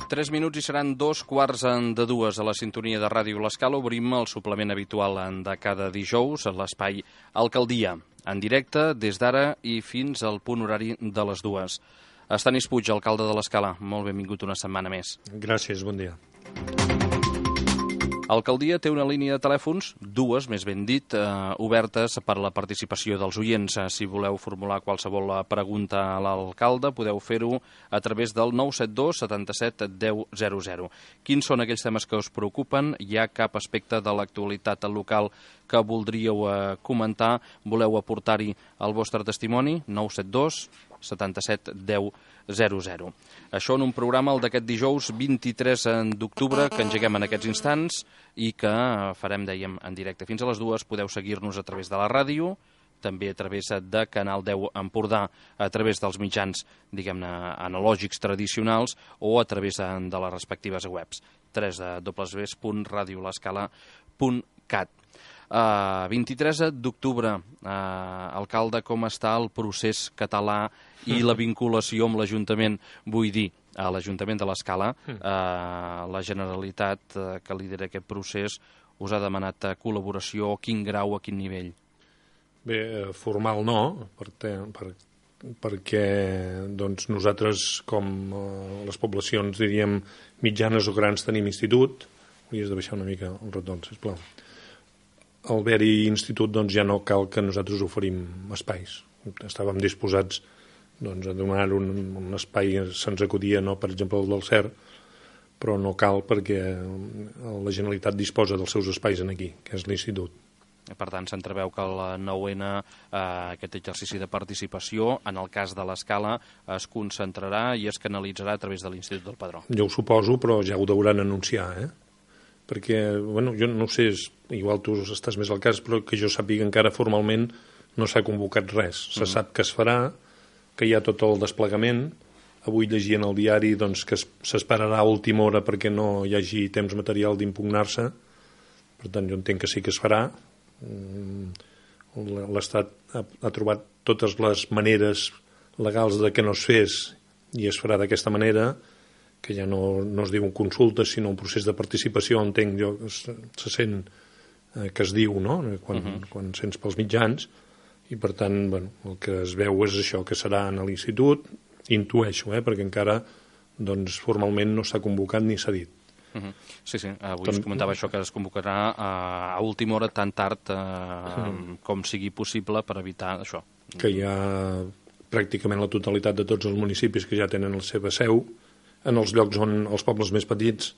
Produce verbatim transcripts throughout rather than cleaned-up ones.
Tres minuts i seran dos quarts de dues a la sintonia de Ràdio L'Escala. Obrim el suplement habitual de cada dijous a l'espai Alcaldia, en directe des d'ara i fins al punt horari de les dues. Estanis Puig, alcalde de l'Escala, molt benvingut una setmana més. Gràcies, bon dia. Alcaldia té una línia de telèfons, dues, més ben dit, eh, obertes per a la participació dels oients. Si voleu formular qualsevol pregunta a l'alcalde, podeu fer-ho a través del nou set dos setanta-set deu zero zero. Quins són aquells temes que us preocupen? Hi ha cap aspecte de l'actualitat local que voldríeu eh, comentar? Voleu aportar-hi el vostre testimoni? nou set dos setanta-set deu zero zero. Això en un programa, el d'aquest dijous vint-i-tres d'octubre, que engeguem en aquests instants i que farem, dèiem, en directe fins a les dues. Podeu seguir-nos a través de la ràdio, també a través de Canal deu Empordà, a través dels mitjans, diguem-ne, analògics tradicionals o a través de les respectives webs. w w w punt radio l'escala punt cat. Uh, vint-i-tres d'octubre, uh, alcalde, com està el procés català i la vinculació amb l'Ajuntament? Vull dir, a l'Ajuntament de l'Escala, uh, la Generalitat uh, que lidera aquest procés us ha demanat col·laboració, quin grau, a quin nivell? Bé, formal no, perquè, per, perquè doncs, nosaltres, com uh, les poblacions, diríem, mitjanes o grans, tenim institut. Hauries de baixar una mica el retorn, sisplau. Al haver-hi institut, doncs, ja no cal que nosaltres oferim espais. Estàvem disposats doncs, a donar un, un espai, se'ns acudia, no, per exemple, el del C E R, però no cal perquè la Generalitat disposa dels seus espais aquí, que és l'institut. Per tant, s'entreveu que el nou ene, eh, aquest exercici de participació, en el cas de l'Escala, es concentrarà i es canalitzarà a través de l'Institut del Padró. Jo ho suposo, però ja ho deuran anunciar, eh? Perquè, bueno, jo no sé, igual tu estàs més al cas, però que jo sàpiga encara formalment no s'ha convocat res. Se mm. sap que es farà, que hi ha tot el desplegament. Avui llegia en el diari doncs, que s'esperarà a última hora perquè no hi hagi temps material d'impugnar-se. Per tant, jo entenc que sí que es farà. L'Estat ha, ha trobat totes les maneres legals de que no es fes i es farà d'aquesta manera, que ja no, no es diu un consulta, sinó un procés de participació, entenc jo, se, se sent eh, que es diu, no?, quan, uh-huh. quan sents pels mitjans, i per tant, bueno, el que es veu és això, que serà en l'institut, intueixo, eh, perquè encara, doncs, formalment no s'ha convocat ni s'ha dit. Uh-huh. Sí, sí, avui Tam... es comentava això, que es convocarà a, a última hora, tan tard eh, uh-huh. com sigui possible, per evitar això. Que hi ha pràcticament la totalitat de tots els municipis que ja tenen la seva seu. En els llocs on els pobles més petits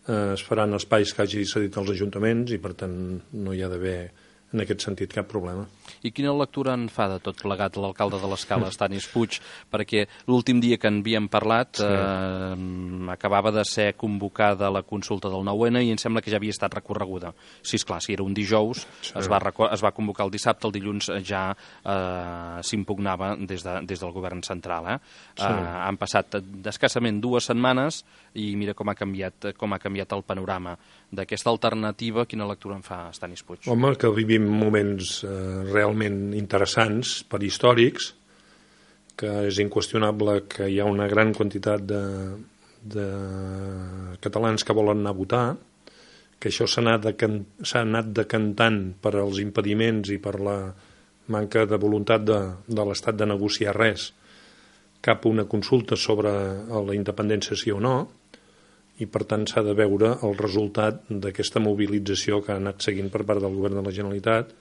eh, es faran espais que hagi cedit als ajuntaments i, per tant, no hi ha d'haver, en aquest sentit, cap problema. I quina lectura en fa de tot plegat l'alcalde de l'Escala, Estanis Puig? Perquè l'últim dia que en havíem parlat sí. eh, acabava de ser convocada la consulta del nou ene i em sembla que ja havia estat recorreguda. Sí, esclar, si era un dijous, sí. es, va es va convocar el dissabte, el dilluns ja eh, s'impugnava des, de, des del govern central. Eh? Sí. Eh, han passat escassament dues setmanes i mira com ha canviat, com ha canviat el panorama d'aquesta alternativa. Quina lectura en fa Estanis Puig? Home, que vivim moments eh, realment interessants per històrics, que és inqüestionable que hi ha una gran quantitat de, de catalans que volen anar a votar, que això s'ha anat, s'ha anat decantant per als impediments i per la manca de voluntat de, de l'Estat de negociar res cap a una consulta sobre la independència sí o no, i per tant s'ha de veure el resultat d'aquesta mobilització que ha anat seguint per part del govern de la Generalitat,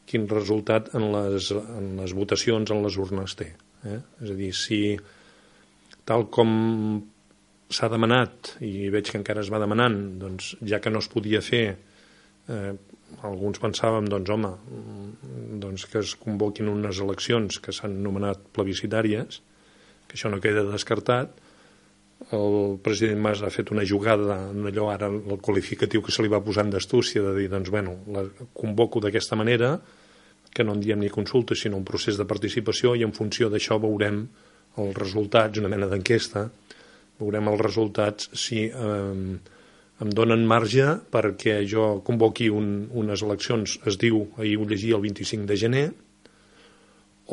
quin resultat en les, en les votacions, en les urnes té. Eh? És a dir, si tal com s'ha demanat, i veig que encara es va demanant, doncs, ja que no es podia fer, eh, alguns pensàvem, doncs, home, doncs que es convoquin unes eleccions que s'han anomenat plebiscitàries, que això no queda descartat. El president Mas ha fet una jugada en allò, ara el qualificatiu que se li va posant d'astúcia, de dir, doncs, bueno, la convoco d'aquesta manera, que no en diem ni consulta, sinó un procés de participació, i en funció d'això veurem els resultats, una mena d'enquesta, veurem els resultats si eh, em donen marge perquè jo convoqui un, unes eleccions, es diu, ahir ho llegia, el vint-i-cinc de gener,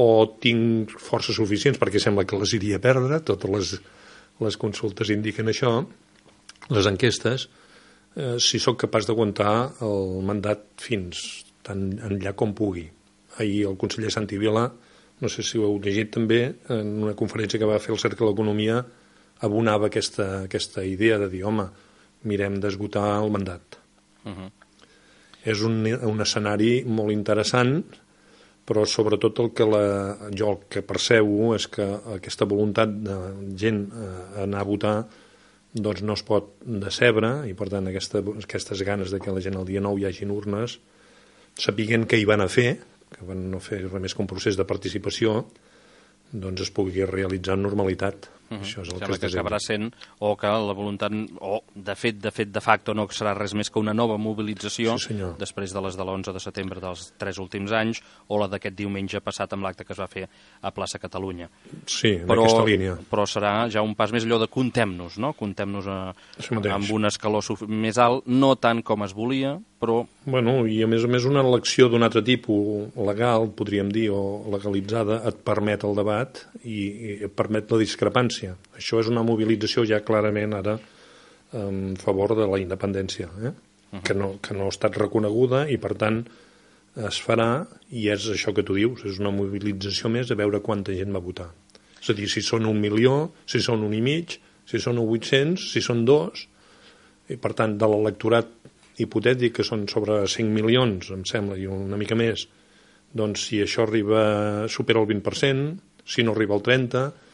o tinc forces suficients, perquè sembla que les iria a perdre, totes les les consultes indiquen això, les enquestes, eh, si sóc capaç d'aguantar el mandat fins tan enllà com pugui. Ahir el conseller Santi Vila, no sé si ho heu llegit també, en una conferència que va fer el Cercle de l'Economia, abonava aquesta, aquesta idea de dir, home, mirem d'esgotar el mandat. Uh-huh. És un, un escenari molt interessant, però sobretot el que la, jo el que percebo és que aquesta voluntat de gent a anar a votar doncs no es pot decebre, i per tant aquesta, aquestes ganes de que la gent el dia nou hi hagin urnes, sapiguent què hi van a fer, que van no fer res més que un procés de participació, doncs es pugui realitzar en normalitat. Uh -huh. Això és el Sembla que, que acabarà sent, o que la voluntat, o de fet, de fet, de facto, no serà res més que una nova mobilització, sí, després de les de l'onze de setembre dels tres últims anys, o la d'aquest diumenge passat amb l'acte que es va fer a Plaça Catalunya. Sí, en però, aquesta línia. Però serà ja un pas més allò de comptem-nos, no? Comptem-nos a, amb un escaló més alt, no tant com es volia, però... Bueno, i a més a més una elecció d'un altre tipus, legal, podríem dir, o legalitzada, et permet el debat i, i et permet la discrepància. Això és una mobilització ja clarament ara en favor de la independència, eh? uh-huh. que, no, que no ha estat reconeguda i per tant es farà, i és això que tu dius, és una mobilització més a veure quanta gent va votar. És a dir, si són un milió, si són un i mig, si són vuit-cents, si són dos, i per tant de l'electorat hipotètic, que són sobre cinc milions, em sembla, i una mica més, doncs si això arriba, supera el vint per cent, si no arriba al trenta per cent,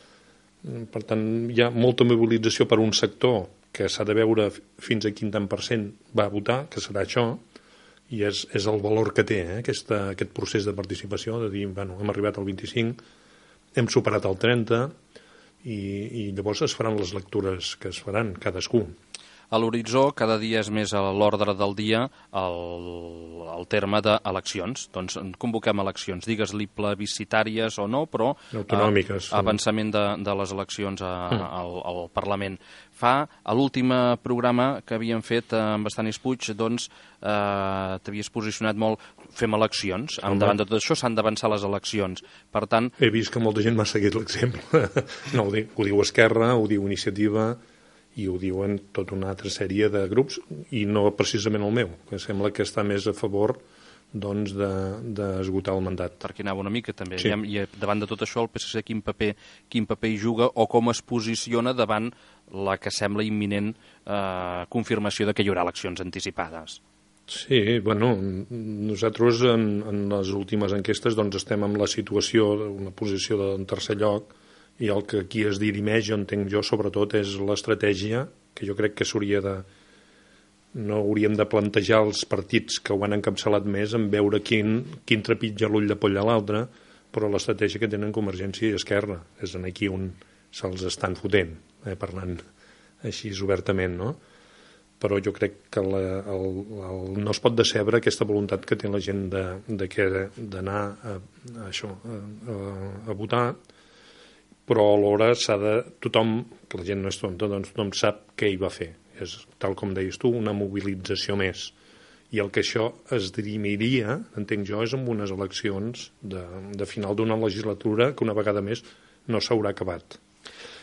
per tant, hi ha molta mobilització per un sector que s'ha de veure fins a quin tant per cent va votar, que serà això, i és, és el valor que té eh, aquesta, aquest procés de participació, de dir, bueno, hem arribat al vint-i-cinc, hem superat el trenta, i, i llavors es faran les lectures que es faran, cadascú. A l'horitzó cada dia és més a l'ordre del dia el, el terme d'eleccions. Doncs convoquem eleccions, digues-li plebiscitàries o no, però autonòmiques, eh, avançament de, de les eleccions a, mm. al, al Parlament. Fa, a l'últim programa que havíem fet amb Estanis Puig, doncs eh, t'havies posicionat molt, fem eleccions, Home. davant de tot això s'han d'avançar les eleccions. Per tant... He vist que molta gent m'ha seguit l'exemple. No, ho diu, ho diu Esquerra, ho diu Iniciativa, i ho diuen tota una altra sèrie de grups, i no precisament el meu, que sembla que està més a favor doncs, d'esgotar de, el mandat. Per aquí anava una mica, també. Sí. I davant de tot això, el P S C quin paper, quin paper hi juga o com es posiciona davant la que sembla imminent eh, confirmació de que hi haurà eleccions anticipades? Sí, bueno, nosaltres en, en les últimes enquestes doncs, estem en la situació, una posició de tercer lloc, i el que aquí es dirimeix, jo entenc jo, sobretot, és l'estratègia, que jo crec que s'hauria de... No hauríem de plantejar els partits que ho han encapçalat més en veure quin, quin trepitja l'ull de poll a l'altre, però l'estratègia que tenen Convergència i Esquerra és en aquí on se'ls estan fotent, eh, parlant així obertament, no? Però jo crec que la, el, el, no es pot decebre aquesta voluntat que té la gent de, de que d'anar a, a això, a, a, a votar, però alhora s'ha de... Tothom, que la gent no és tonta, doncs tothom sap què hi va fer. És, tal com deies tu, una mobilització més. I el que això es dirimiria, entenc jo, és amb unes eleccions de, de final d'una legislatura que una vegada més no s'haurà acabat.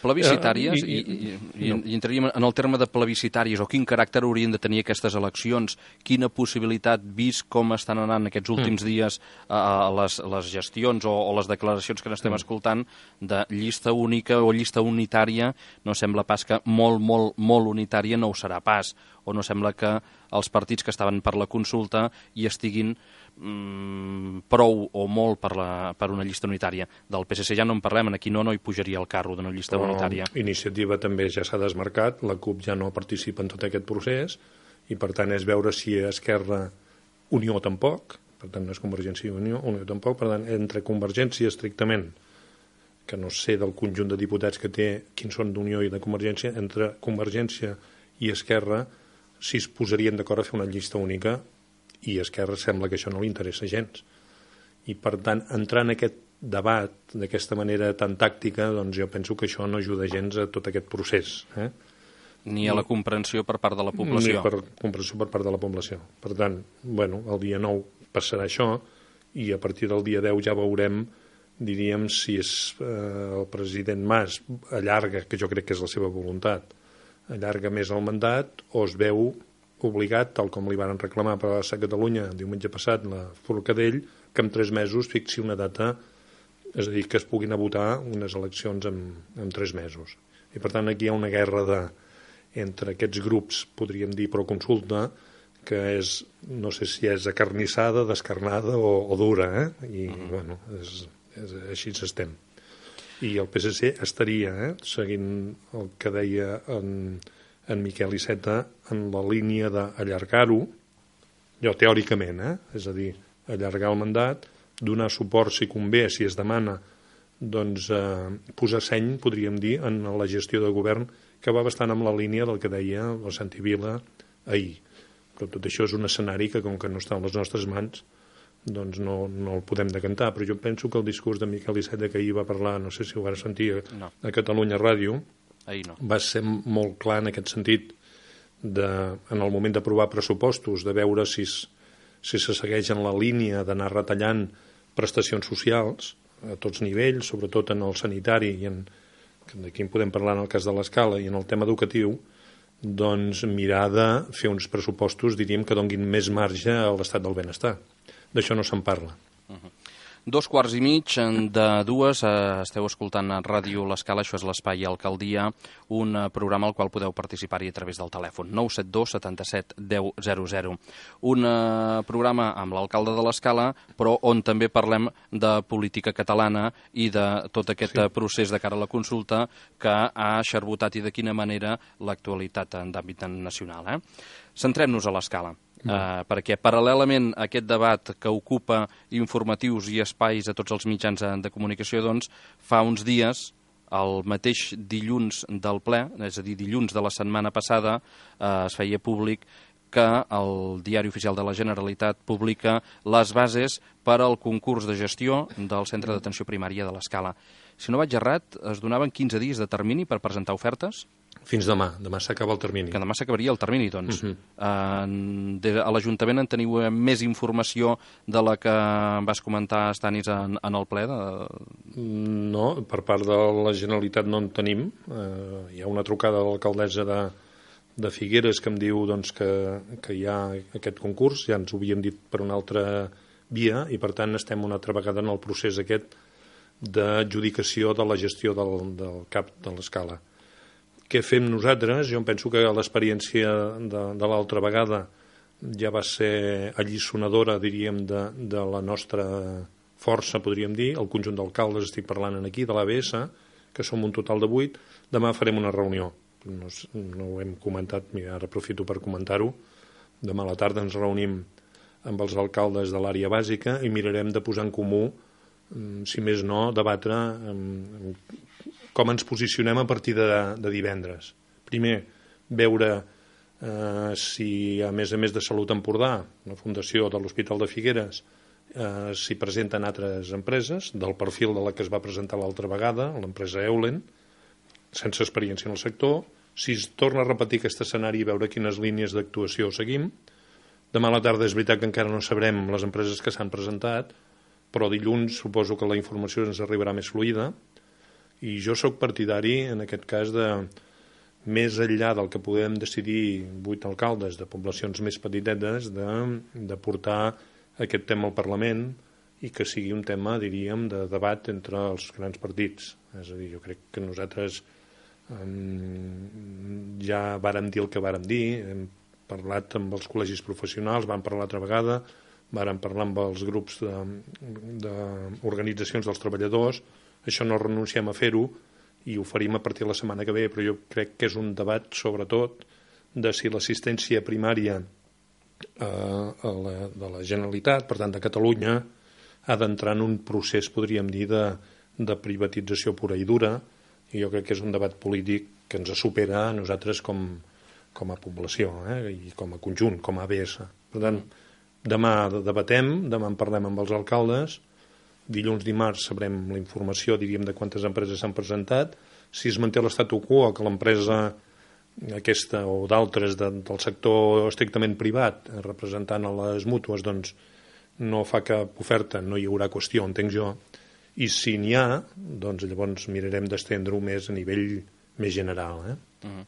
Plebiscitàries, uh, i, i, i, no. i entraríem en el terme de plebiscitàries, o quin caràcter haurien de tenir aquestes eleccions, quina possibilitat, vist com estan anant aquests últims mm. dies a, a les, les gestions o, o les declaracions que n'estem mm. escoltant, de llista única o llista unitària, no sembla pas que molt, molt, molt unitària no ho serà pas, o no sembla que els partits que estaven per la consulta hi estiguin mm, prou o molt per, la, per una llista unitària. Del P S C ja no en parlem, aquí no, no hi pujaria el carro d'una llista Però unitària. Iniciativa també ja s'ha desmarcat, la CUP ja no participa en tot aquest procés, i per tant és veure si Esquerra, Unió tampoc, per tant no és Convergència i Unió, Unió tampoc, per tant entre Convergència estrictament, que no sé del conjunt de diputats que té, quins són d'Unió i de Convergència, entre Convergència i Esquerra, si es posarien d'acord a fer una llista única, i a Esquerra sembla que això no li interessa gens. I, per tant, entrar en aquest debat d'aquesta manera tan tàctica, doncs jo penso que això no ajuda gens a tot aquest procés. Eh? Ni a la comprensió per part de la població. Ni per comprensió per part de la població. Per tant, bueno, el dia nou passarà això, i a partir del dia deu ja veurem diríem, si és eh, el president Mas allarga, que jo crec que és la seva voluntat, allarga més el mandat, o es veu obligat, tal com li van reclamar per a Catalunya diumenge passat la Forcadell, que en tres mesos fixi una data, és a dir, que es puguin a votar unes eleccions en, en tres mesos. I per tant aquí hi ha una guerra de, entre aquests grups, podríem dir, pro consulta, que és, no sé si és acarnissada, descarnada o, o dura, eh? I, uh-huh. bueno, és, és, així estem. I el P S C estaria, eh, seguint el que deia en, en Miquel Iceta, en la línia d'allargar-ho, jo teòricament, eh? És a dir, allargar el mandat, donar suport si convé, si es demana, doncs eh, posar seny, podríem dir, en la gestió de govern, que va bastant amb la línia del que deia el Santi Vila ahir. Però tot això és un escenari que, com que no està a les nostres mans, doncs no, no el podem decantar. Però jo penso que el discurs de Miquel Iceta, que ahir va parlar, no sé si ho vas sentir no. a Catalunya Ràdio, no. va ser molt clar en aquest sentit, de, en el moment d'aprovar pressupostos, de veure si, si se segueix en la línia d'anar retallant prestacions socials a tots nivells, sobretot en el sanitari, i en, d'aquí en podem parlar en el cas de l'Escala, i en el tema educatiu, doncs mirar de fer uns pressupostos, diríem, que donguin més marge a l'estat del benestar. D'això no se'n parla. Uh-huh. Dos quarts i mig de dues, eh, esteu escoltant a Ràdio L'Escala, això és l'Espai Alcaldia, un eh, programa al qual podeu participar-hi a través del telèfon, nou set dos setanta-set deu zero zero. Un eh, programa amb l'alcalde de l'Escala, però on també parlem de política catalana i de tot aquest sí. procés de cara a la consulta que ha xarbotat i de quina manera l'actualitat d'àmbit nacional. Eh? Centrem-nos a l'Escala. Uh, perquè paral·lelament a aquest debat que ocupa informatius i espais a tots els mitjans de, de comunicació, doncs, fa uns dies, el mateix dilluns del ple, és a dir, dilluns de la setmana passada, uh, es feia públic que el Diari Oficial de la Generalitat publica les bases per al concurs de gestió del Centre d'Atenció Primària de l'Escala. Si no vaig errat, es donaven quinze dies de termini per presentar ofertes? Fins demà. Demà s'acaba el termini. Que demà s'acabaria el termini, doncs. Uh-huh. uh, de, a l'Ajuntament en teniu més informació de la que vas comentar, Stanis, en, en el ple? De... No, per part de la Generalitat no en tenim. Uh, hi ha una trucada de l'alcaldessa de, de Figueres que em diu doncs, que, que hi ha aquest concurs, ja ens ho havíem dit per una altra via, i per tant estem una altra vegada en el procés aquest d'adjudicació de la gestió del, del CAP de l'Escala. Què fem nosaltres? Jo penso que l'experiència de, de l'altra vegada ja va ser alliçonadora, diríem, de, de la nostra força, podríem dir. El conjunt d'alcaldes, estic parlant aquí, de l'A B S, que som un total de vuit. Demà farem una reunió. No, no ho hem comentat, mira, ara aprofito per comentar-ho. Demà a la tarda ens reunim amb els alcaldes de l'àrea bàsica i mirarem de posar en comú, si més no, debatre amb com ens posicionem a partir de, de divendres. Primer, veure eh, si, a més a més de Salut Empordà, la Fundació de l'Hospital de Figueres, eh, s'hi presenten altres empreses, del perfil de la que es va presentar l'altra vegada, l'empresa Eulen, sense experiència en el sector, si es torna a repetir aquest escenari i veure quines línies d'actuació seguim. Demà a la tarda és veritat que encara no sabrem les empreses que s'han presentat, però dilluns suposo que la informació ens arribarà més fluida, i jo sóc partidari, en aquest cas, de més enllà del que podem decidir vuit alcaldes de poblacions més petitetes, de, de portar aquest tema al Parlament i que sigui un tema, diríem, de debat entre els grans partits. És a dir, jo crec que nosaltres um, ja vàrem dir el que vàrem dir, hem parlat amb els col·legis professionals, vam parlar altra vegada, vàrem parlar amb els grups d'organitzacions de, dels treballadors. Això no renunciem a fer-ho i ho farim a partir de la setmana que ve, però jo crec que és un debat, sobretot, de si l'assistència primària eh, a la, de la Generalitat, per tant de Catalunya, ha d'entrar en un procés, podríem dir, de, de privatització pura i dura, i jo crec que és un debat polític que ens supera a nosaltres com, com a població, eh, i com a conjunt, com a A B S. Per tant, demà debatem, demà en parlem amb els alcaldes, dilluns, dimarts sabrem la informació, diríem, de quantes empreses s'han presentat. Si es manté l'estatu quo, que l'empresa aquesta o d'altres de, del sector estrictament privat, representant a les mútues, doncs no fa cap oferta, no hi haurà qüestió, entenc jo, i si n'hi ha, doncs llavors mirarem d'estendre-ho més a nivell més general. Eh? Mm.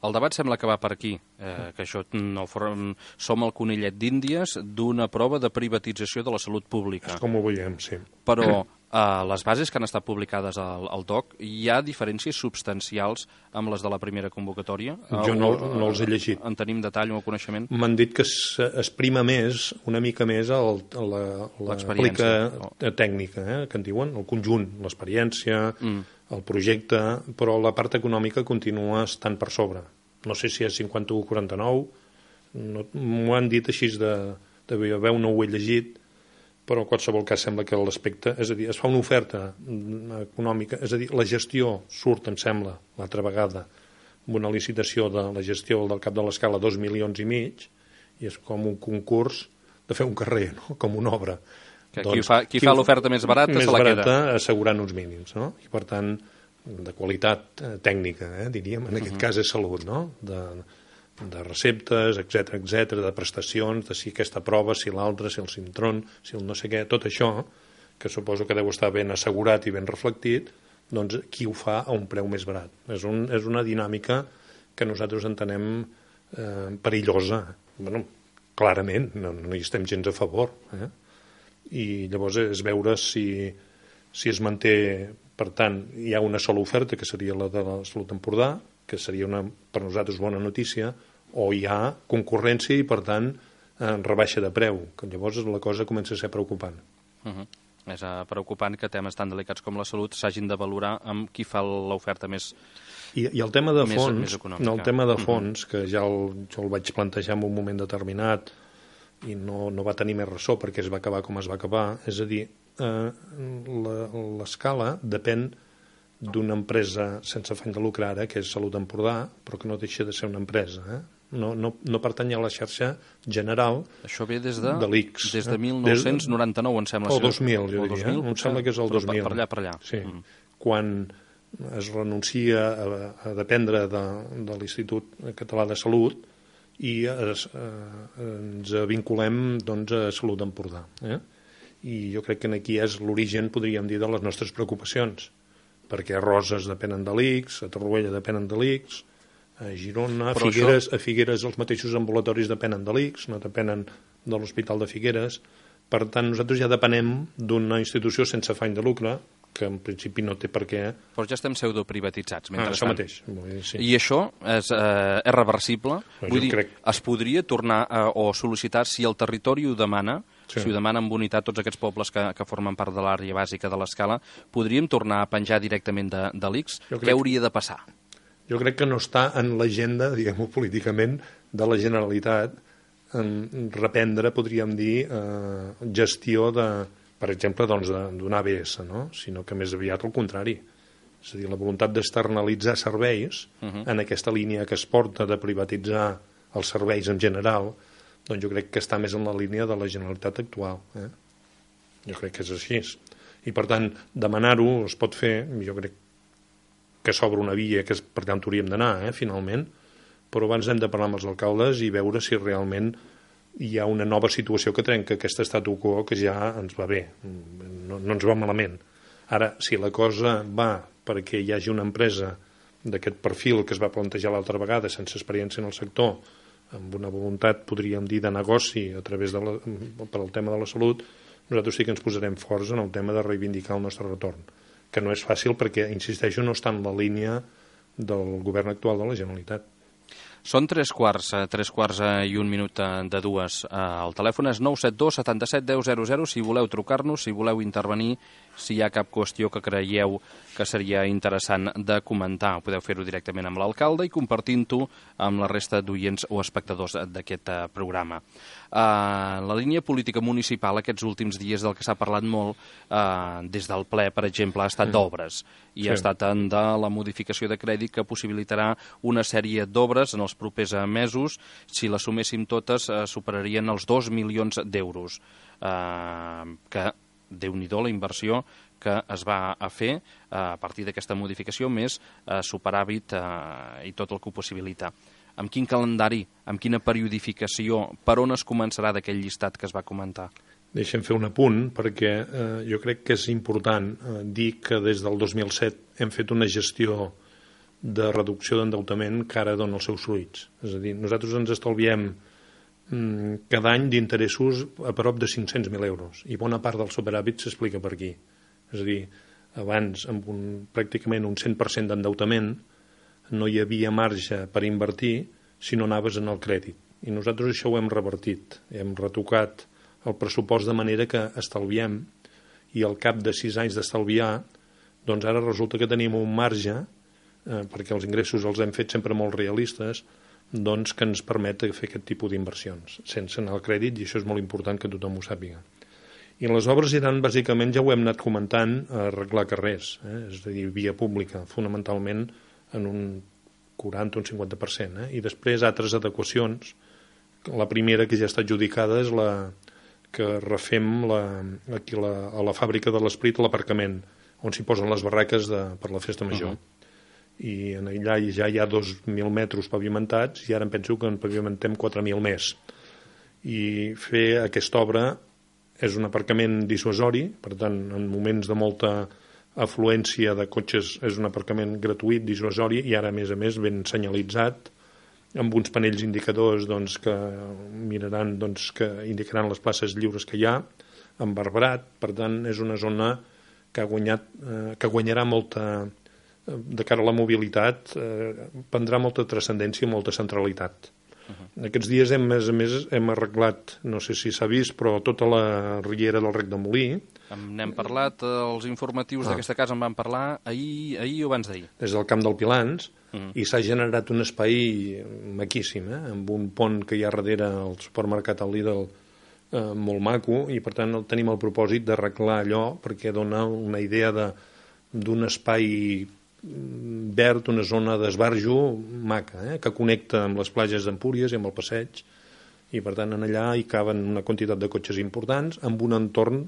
El debat sembla que va per aquí, eh, que això no form... som el conillet d'Índies d'una prova de privatització de la salut pública. És com ho veiem, sí. Però a les bases que han estat publicades al, al D O C hi ha diferències substancials amb les de la primera convocatòria? Jo no, no els he llegit. En tenim detall o coneixement? M'han dit que s'exprima més, una mica més, el, la, la aplica oh. tècnica, eh, que en diuen, el conjunt, l'experiència, mm. el projecte, però la part econòmica continua estant per sobre. No sé si és cinquanta-u o quaranta-nou, no, m'ho han dit així de, de veu, no ho he llegit, però en qualsevol cas sembla que l'aspecte, és a dir, es fa una oferta econòmica, és a dir, la gestió surt, em sembla, l'altra vegada, amb una licitació de la gestió del Cap de l'Escala, dos milions i mig, i és com un concurs de fer un carrer, no? Com una obra. Que doncs, qui fa, qui qui fa l'oferta més barata més se la barata, queda. Assegurant uns mínims, no? I per tant, de qualitat tècnica, eh, diríem, en aquest uh-huh. cas és salut, no? De, de receptes, etcètera, etcètera, de prestacions, de si aquesta prova, si l'altra, si el Sintron, si el no sé què, tot això, que suposo que deu estar ben assegurat i ben reflectit, doncs qui ho fa a un preu més barat. És, un, és una dinàmica que nosaltres entenem eh, perillosa. Bueno, clarament, no, no hi estem gens a favor. Eh? I llavors és veure si, si es manté, per tant, hi ha una sola oferta, que seria la de la Salut Empordà, que seria una, per nosaltres bona notícia, o hi ha concurrència i, per tant, eh, rebaixa de preu, que llavors la cosa comença a ser preocupant. Uh-huh. És uh, preocupant que temes tan delicats com la salut s'hagin de valorar amb qui fa l'oferta més I, I el tema de més, fons, més no, el tema de fons, uh-huh. que ja el, jo el vaig plantejar en un moment determinat i no, no va tenir més ressò perquè es va acabar com es va acabar, és a dir, eh, l'escala depèn d'una empresa sense afany de lucre ara, que és Salut Empordà, però que no deixa de ser una empresa. Eh? No, no, no pertany a la xarxa general Això ve des de, de l'I C S. Des de mil nou-cents noranta-nou, em sembla. O dos mil, jo diria. dos mil, em sembla que és el dos mil. Per allà, per allà. Sí. Mm. Quan es renuncia a, a dependre de, de l'Institut Català de Salut i es, eh, ens vinculem doncs, a Salut Empordà. Eh? I jo crec que aquí és l'origen, podríem dir, de les nostres preocupacions, perquè a Roses depenen de l'I C S, a Torroella depenen de l'I C S, a Girona, a Figueres, això... a Figueres els mateixos ambulatoris depenen de l'I C S, no depenen de l'Hospital de Figueres. Per tant, nosaltres ja depenem d'una institució sense afany de lucre, que en principi no té per què... Però ja estem pseudoprivatitzats, mentrestant. Ah, això mateix. Dir, sí. I això és, eh, és reversible? No, Vull dir, crec... es podria tornar a, o sol·licitar, si el territori ho demana, sí. si ho demana amb unitat tots aquests pobles que, que formen part de l'àrea bàsica de l'escala, podríem tornar a penjar directament de, de l'I C S? Crec... Què hauria de passar? Jo crec que no està en l'agenda, diguem-ho políticament, de la Generalitat en reprendre, podríem dir, eh, gestió de, per exemple, doncs, d'un A B S, no? Sinó que més aviat al contrari. És a dir, la voluntat d'externalitzar serveis uh-huh. en aquesta línia que es porta de privatitzar els serveis en general, doncs jo crec que està més en la línia de la Generalitat actual. Eh? Jo crec que és així. I, per tant, demanar-ho es pot fer, jo crec que s'obre una via, que és per tant hauríem d'anar, eh, finalment, però abans hem de parlar amb els alcaldes i veure si realment hi ha una nova situació que trenca aquest statu quo que ja ens va bé, no, no ens va malament. Ara, si la cosa va perquè hi hagi una empresa d'aquest perfil que es va plantejar l'altra vegada, sense experiència en el sector, amb una voluntat, podríem dir, de negoci a través de la, per al tema de la salut, nosaltres sí que ens posarem forts en el tema de reivindicar el nostre retorn, que no és fàcil perquè, insisteixo, no està en la línia del govern actual de la Generalitat. Són tres quarts, tres quarts i un minut de dues. El telèfon és nou set dos setanta-set deu zero zero si voleu trucar-nos, si voleu intervenir, si hi ha cap qüestió que creieu que seria interessant de comentar. Podeu fer-ho directament amb l'alcalde i compartint-ho amb la resta d'oients o espectadors d'aquest programa. Uh, la línia política municipal aquests últims dies del que s'ha parlat molt uh, des del ple, per exemple, ha estat mm. d'obres i sí. ha estat en de la modificació de crèdit que possibilitarà una sèrie d'obres en els propers mesos. Si les suméssim totes uh, superarien els dos milions d'euros uh, que, déu-n'hi-do, la inversió que es va a fer uh, a partir d'aquesta modificació més uh, superàvit uh, i tot el que ho possibilita. Amb quin calendari, amb quina periodificació, per on es començarà d'aquell llistat que es va comentar? Deixem fer un apunt, perquè eh, jo crec que és important eh, dir que des del dos mil set hem fet una gestió de reducció d'endeutament que ara dona els seus fruits. És a dir, nosaltres ens estalviem mm, cada any d'interessos a prop de cinc-cents mil euros, i bona part del superàvit s'explica per aquí. És a dir, abans, amb un, pràcticament un cent per cent d'endeutament, no hi havia marge per invertir si no anaves en el crèdit. I nosaltres això ho hem revertit. Hem retocat el pressupost de manera que estalviem, i al cap de sis anys d'estalviar, doncs ara resulta que tenim un marge, eh, perquè els ingressos els hem fet sempre molt realistes, doncs que ens permet fer aquest tipus d'inversions, sense anar al crèdit, i això és molt important que tothom ho sàpiga. I les obres iran, bàsicament, ja ho hem anat comentant, a arreglar carrers, eh? És a dir, via pública, fonamentalment en un quaranta o un cinquanta per cent, eh? I després altres adequacions. La primera que ja està adjudicada és la que refem la, aquí la, a la fàbrica de l'Esprit, l'aparcament, on s'hi posen les barraques de, per la festa major. Uh-huh. I en allà ja hi ha dos mil metres pavimentats, i ara em penso que en pavimentem quatre mil més. I fer aquesta obra és un aparcament dissuasori, per tant, en moments de molta afluència de cotxes és un aparcament gratuït, dissuasori, i ara, a més a més, ben senyalitzat, amb uns panells indicadors doncs, que miraran, doncs, que indicaran les places lliures que hi ha, amb arbrat. Per tant, és una zona que ha guanyat, eh, que guanyarà molta, eh, de cara a la mobilitat, eh, prendrà molta transcendència i molta centralitat. Uh-huh. Aquests dies, hem, a més a més, hem arreglat, no sé si s'ha vist, però tota la riera del Rec de Molí. N'hem parlat, els informatius ah. d'aquesta casa en van parlar ahir, ahir o abans d'ahir. Des del Camp del Pilans, uh-huh. I s'ha generat un espai maquíssim, eh? Amb un pont que hi ha darrere al supermercat al Lidl, eh, molt maco, i per tant tenim el propòsit d'arreglar allò, perquè dona una idea de, d'un espai verd, una zona d'esbarjo maca, eh? Que connecta amb les platges d'Empúries i amb el passeig, i per tant en allà hi caben una quantitat de cotxes importants, amb un entorn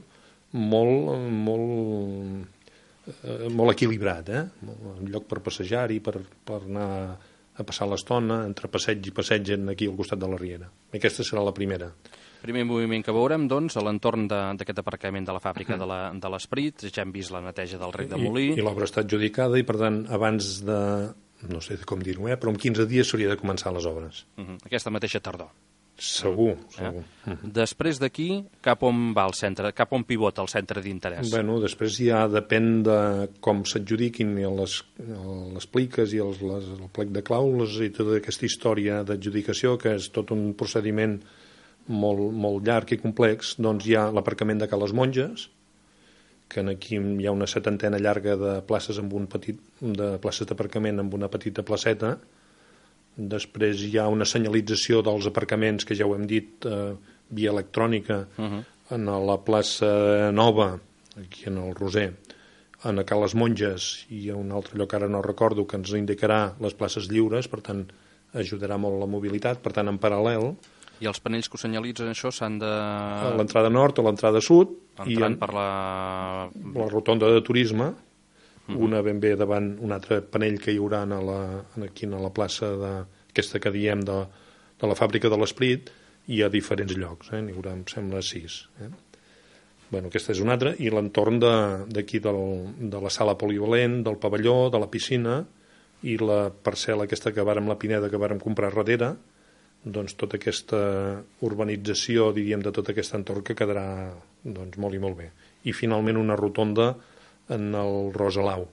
molt, molt, eh, molt equilibrat, eh? Un lloc per passejar-hi, per, per anar a passar l'estona, entre passeig i passeig aquí al costat de la riera. Aquesta serà la primera. Primer moviment que veurem, doncs, a l'entorn d'aquest aparcament de la fàbrica de l'Esprit. Ja hem vist la neteja del Rec de Molí. I, i l'obra està adjudicada, i per tant, abans de, no sé com dir-ho, eh, però en quinze dies s'hauria de començar les obres. Uh -huh. Aquesta mateixa tardor. Segur, segur. Eh? Uh -huh. Després d'aquí, cap on va el centre, cap on pivota el centre d'interès? Bueno, després ja depèn de com s'adjudiquin les, les pliques i els, les, el plec de clàusules i tota aquesta història d'adjudicació, que és tot un procediment molt, molt llarg i complex. Doncs hi ha l'aparcament de Ca les Monges, que aquí hi ha una setantena llarga de places amb un petit, de places d'aparcament amb una petita placeta. Després hi ha una senyalització dels aparcaments, que ja ho hem dit, eh, via electrònica, uh-huh. En la plaça Nova, aquí en el Roser, en Ca les Monges, i un altre lloc ara no recordo, que ens indicarà les places lliures, per tant ajudarà molt la mobilitat. Per tant, en paral·lel, i els panells que ho senyalitzen, això s'han de... A l'entrada nord o l'entrada sud. Entrant en... per la... la rotonda de turisme, uh-huh. Una ben bé davant un altre panell que hi haurà a la, aquí a la plaça de, aquesta que diem de, de la fàbrica de l'Esprit, i a diferents llocs, eh? N'hi haurà, em sembla, sis. Eh? Bueno, aquesta és una altra, i l'entorn d'aquí de, de la sala polivalent, del pavelló, de la piscina, i la parcel·la aquesta que vàrem, la Pineda, que vàrem comprar darrere, doncs tota aquesta urbanització, diríem, de tot aquest entorn, que quedarà doncs, molt i molt bé. I finalment una rotonda en el Rosalau.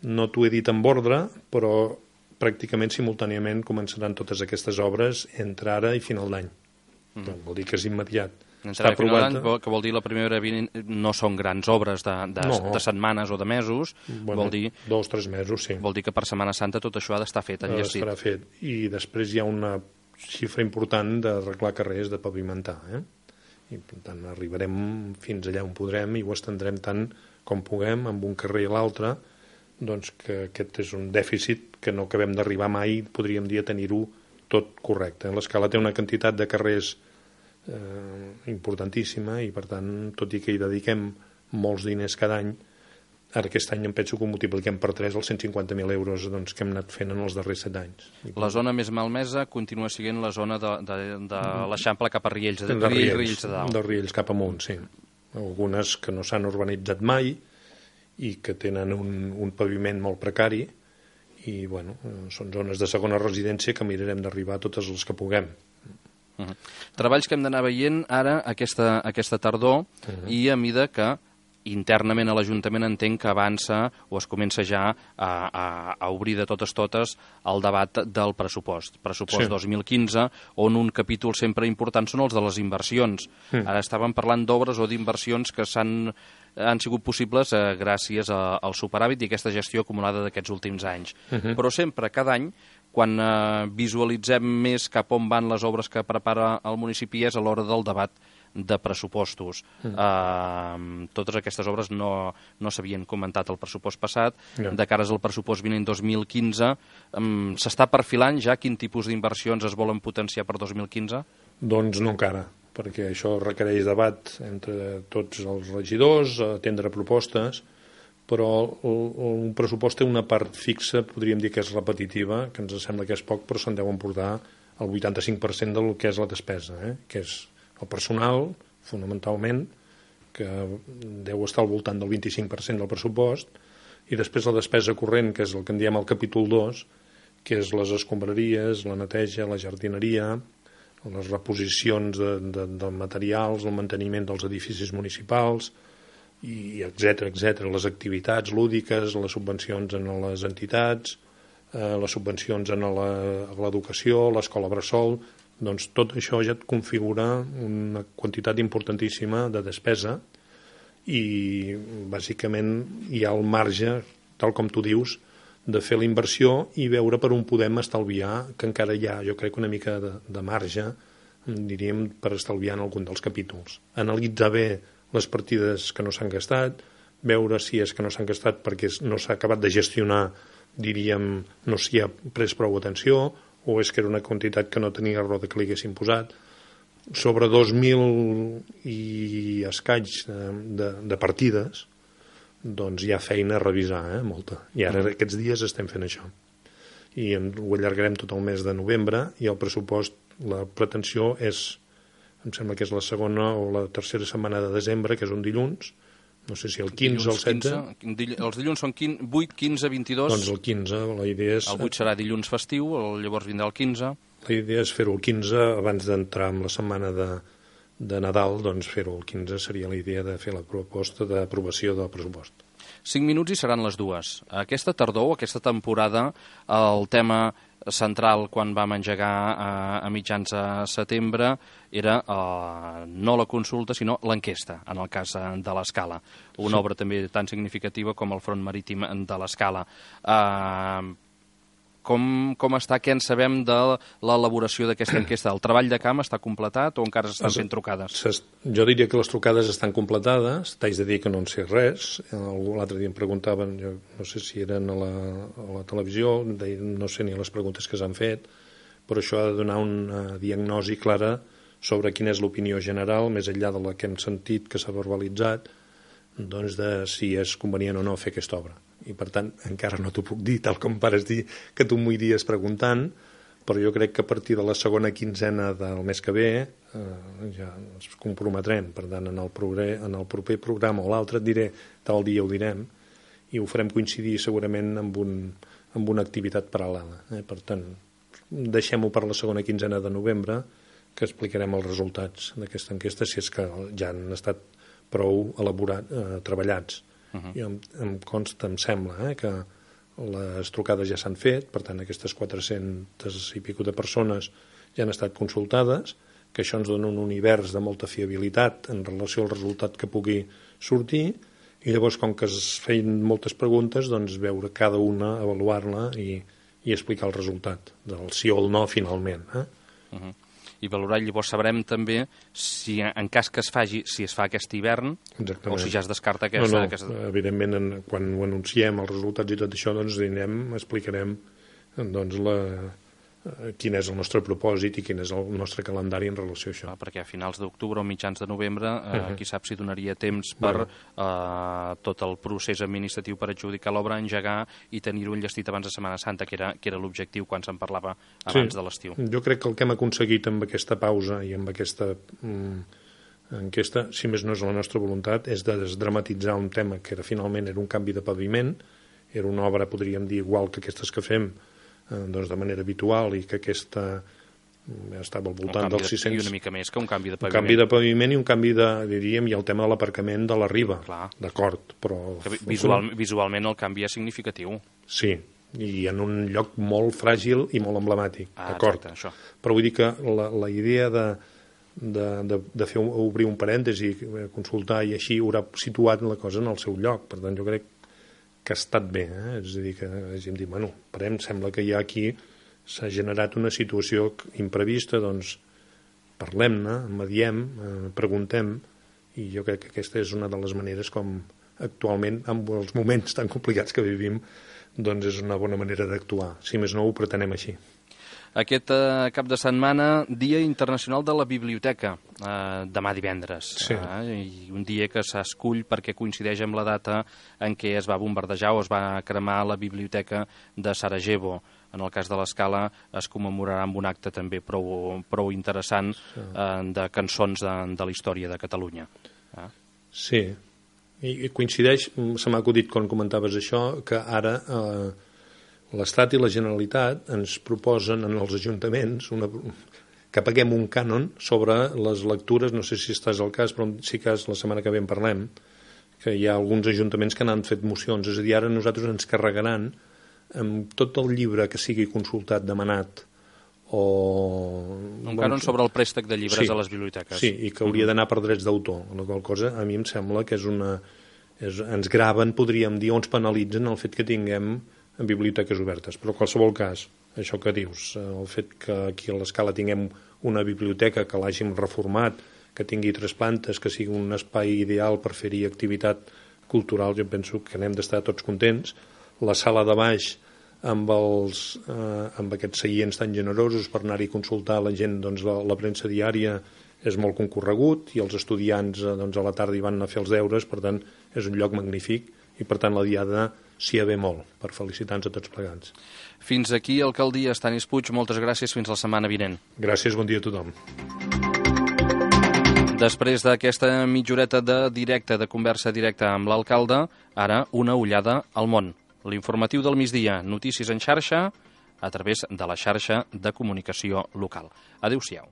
No t'ho he dit en ordre, però pràcticament simultàniament començaran totes aquestes obres entre ara i final d'any. Mm. Doncs vol dir que és immediat. Està aprovat, que vol dir la primera no són grans obres de, de, no. de setmanes o de mesos, bueno, vol dir... Dos, tres mesos, sí. Vol dir que per Setmana Santa tot això ha d'estar fet, enllestit. Estarà fet. I després hi ha una xifra important d'arreglar carrers, de pavimentar, eh? I per tant arribarem fins allà on podrem i ho estendrem tant com puguem, amb un carrer i l'altre, doncs que aquest és un dèficit que no acabem d'arribar mai, podríem dir, a tenir-ho tot correcte. L'Escala té una quantitat de carrers eh, importantíssima, i per tant, tot i que hi dediquem molts diners cada any, Ara aquest any em penso que ho multipliquem per tres els cent cinquanta mil euros doncs, que hem anat fent en els darrers set anys. La zona més malmesa continua sent la zona de, de, de l'Eixample cap a Riells, de, de Riells, Riells, Riells de Dalt. De Riells cap amunt, sí. Algunes que no s'han urbanitzat mai i que tenen un, un paviment molt precari i, bueno, són zones de segona residència que mirarem d'arribar a totes les que puguem. Uh -huh. Treballs que hem d'anar veient ara aquesta, aquesta tardor uh -huh. i a mida que internament a l'Ajuntament entenc que avança o es comença ja a, a, a obrir de totes totes el debat del pressupost. Pressupost sí. dos mil quinze, on un capítol sempre important són els de les inversions. Mm. Ara estàvem parlant d'obres o d'inversions que s'han han sigut possibles eh, gràcies a, al superàvit i aquesta gestió acumulada d'aquests últims anys. Mm -hmm. Però sempre, cada any, quan eh, visualitzem més cap on van les obres que prepara el municipi és a l'hora del debat de pressupostos. Mm. Uh, totes aquestes obres no, no s'havien comentat al pressupost passat. No. De cares al pressupost vinent dos mil quinze, um, s'està perfilant ja quin tipus d'inversions es volen potenciar per dos mil quinze? Doncs no encara, perquè això requereix debat entre tots els regidors, atendre propostes, però un pressupost té una part fixa, podríem dir que és repetitiva, que ens sembla que és poc, però se'n deuen portar el vuitanta-cinc per cent del que és la despesa, eh? Que és el personal, fonamentalment, que deu estar al voltant del vint-i-cinc per cent del pressupost, i després la despesa corrent, que és el que en diem el capítol dos, que és les escombraries, la neteja, la jardineria, les reposicions de, de, de materials, el manteniment dels edificis municipals, i etcètera, etcètera, les activitats lúdiques, les subvencions en les entitats, eh, les subvencions en l'educació, l'escola bressol. Doncs tot això ja et configura una quantitat importantíssima de despesa i bàsicament hi ha el marge, tal com tu dius, de fer la inversió i veure per on podem estalviar, que encara hi ha, jo crec, una mica de, de marge, diríem, per estalviar en algun dels capítols. Analitzar bé les partides que no s'han gastat, veure si és que no s'han gastat perquè no s'ha acabat de gestionar, diríem, no s'hi ha pres prou atenció, o és que era una quantitat que no tenia raó de que li haguessin posat. Sobre dos mil i escaig de, de, de partides, doncs hi ha feina a revisar, eh, molta. I ara aquests dies estem fent això. I ho allargarem tot el mes de novembre i el pressupost, la pretensió és, em sembla que és la segona o la tercera setmana de desembre, que és un dilluns, no sé si el quinze o el setze. quinze, els dilluns són vuit, quinze, vint-i-dos. Doncs el quinze, la idea és... El vuit serà dilluns festiu, llavors vindrà el quinze. La idea és fer-ho el quinze, abans d'entrar en la setmana de, de Nadal, doncs fer-ho el quinze seria la idea de fer la proposta d'aprovació del pressupost. Cinc minuts i seran les dues. Aquesta tardor, aquesta temporada, el tema central quan vam engegar a, a mitjans de setembre era eh, no la consulta sinó l'enquesta, en el cas de l'Escala, una sí. obra també tan significativa com el front marítim de l'Escala. Eh, com, com està, què en sabem de l'elaboració d'aquesta enquesta? El treball de camp està completat o encara s'estan fent trucades? Jo diria que les trucades estan completades, t'haig de dir que no en sé res. L'altre dia em preguntaven, jo no sé si eren a la, a la televisió, no sé ni les preguntes que s'han fet, però això ha de donar una diagnosi clara sobre quina és l'opinió general, més enllà de la que hem sentit que s'ha verbalitzat, doncs de si és convenient o no fer aquesta obra. I per tant encara no t'ho puc dir tal com pares dir que tu m'ho iries preguntant, però jo crec que a partir de la segona quinzena del mes que ve eh, ja ens comprometrem. Per tant, en el, progre, en el proper programa o l'altre et diré tal dia ho direm i ho farem coincidir segurament amb, un, amb una activitat paral·lela. Eh? Per tant, deixem-ho per la segona quinzena de novembre, que explicarem els resultats d'aquesta enquesta, si és que ja han estat prou elaborat, eh, treballats. Uh-huh. I em, em consta, em sembla, eh, que les trucades ja s'han fet, per tant aquestes quatre-centes i pico de persones ja han estat consultades, que això ens dona un univers de molta fiabilitat en relació al resultat que pugui sortir, i llavors com que es feien moltes preguntes, doncs veure cada una, avaluar-la i, i explicar el resultat del sí o el no finalment. Eh? Uh-huh. I valorar, llavors sabrem també si en cas que es faci, si es fa aquest hivern, exactament, o si ja es descarta aquesta... No, no, aquesta... evidentment, en, quan ho anunciem, els resultats i tot això, doncs anirem, explicarem doncs, la, quin és el nostre propòsit i quin és el nostre calendari en relació a això. Ah, perquè a finals d'octubre o mitjans de novembre, eh, uh -huh. qui sap si donaria temps per bueno. eh, tot el procés administratiu per adjudicar l'obra, engegar i tenir-ho enllestit abans de Setmana Santa, que era, que era l'objectiu quan se'n parlava abans sí, de l'estiu. Jo crec que el que hem aconseguit amb aquesta pausa i amb aquesta mm, enquesta, si més no és la nostra voluntat, és de desdramatitzar un tema que era, finalment era un canvi de paviment, era una obra, podríem dir, igual que aquestes que fem, doncs de manera habitual, i que aquesta estava al voltant dels sis-cents... I una mica més que un canvi de paviment. Un canvi de paviment i un canvi de, diríem, i el tema de l'aparcament de la riba. D'acord, però... Visual, visualment el canvi és significatiu. Sí, i en un lloc molt fràgil i molt emblemàtic, ah, d'acord. Exacte, això. Però vull dir que la, la idea de, de, de, de fer obrir un parèntesi, consultar, i així haurà situat la cosa en el seu lloc. Per tant, jo crec que ha estat bé, eh? És a dir, que hem dit, bueno, parem, sembla que ja aquí s'ha generat una situació imprevista, doncs parlem-ne, mediem, eh, preguntem, i jo crec que aquesta és una de les maneres com actualment, en els moments tan complicats que vivim, doncs és una bona manera d'actuar. Si més no, ho pretenem així. Aquest eh, cap de setmana, Dia Internacional de la Biblioteca, eh, demà divendres. Sí. Eh, i un dia que s'escull perquè coincideix amb la data en què es va bombardejar o es va cremar la biblioteca de Sarajevo. En el cas de l'Escala es commemorarà amb un acte també prou, prou interessant eh, de cançons de, de la història de Catalunya. Eh? Sí, i coincideix, se m'ha acudit quan comentaves això, que ara... Eh, l'Estat i la Generalitat ens proposen en els ajuntaments una, que paguem un cànon sobre les lectures, no sé si estàs al cas, però si cas la setmana que ve en parlem, que hi ha alguns ajuntaments que n'han fet mocions, és a dir, ara nosaltres ens carregaran amb tot el llibre que sigui consultat, demanat, o... Un cànon sobre el préstec de llibres sí, a les biblioteques. Sí, i que hauria d'anar per drets d'autor, la qual cosa a mi em sembla que és una... És, ens graven, podríem dir, o ens penalitzen el fet que tinguem en biblioteques obertes, però en qualsevol cas, això que dius, el fet que aquí a l'Escala tinguem una biblioteca que l'hàgim reformat, que tingui tres plantes, que sigui un espai ideal per fer-hi activitat cultural, jo penso que n'hem d'estar tots contents. La sala de baix, amb, els, eh, amb aquests seients tan generosos per anar-hi a consultar la gent, doncs la, la premsa diària és molt concorregut, i els estudiants eh, doncs a la tarda hi van anar a fer els deures, per tant és un lloc magnífic, i per tant la diada s'hi ha ve molt, per felicitar-nos a tots plegats. Fins aquí, alcaldia. Estanis Puig, moltes gràcies, fins la setmana vinent. Gràcies, bon dia a tothom. Després d'aquesta mitjoreta de directe, de conversa directa amb l'alcalde, ara una ullada al món. L'informatiu del migdia, notícies en xarxa, a través de la xarxa de comunicació local. Adéu-siau.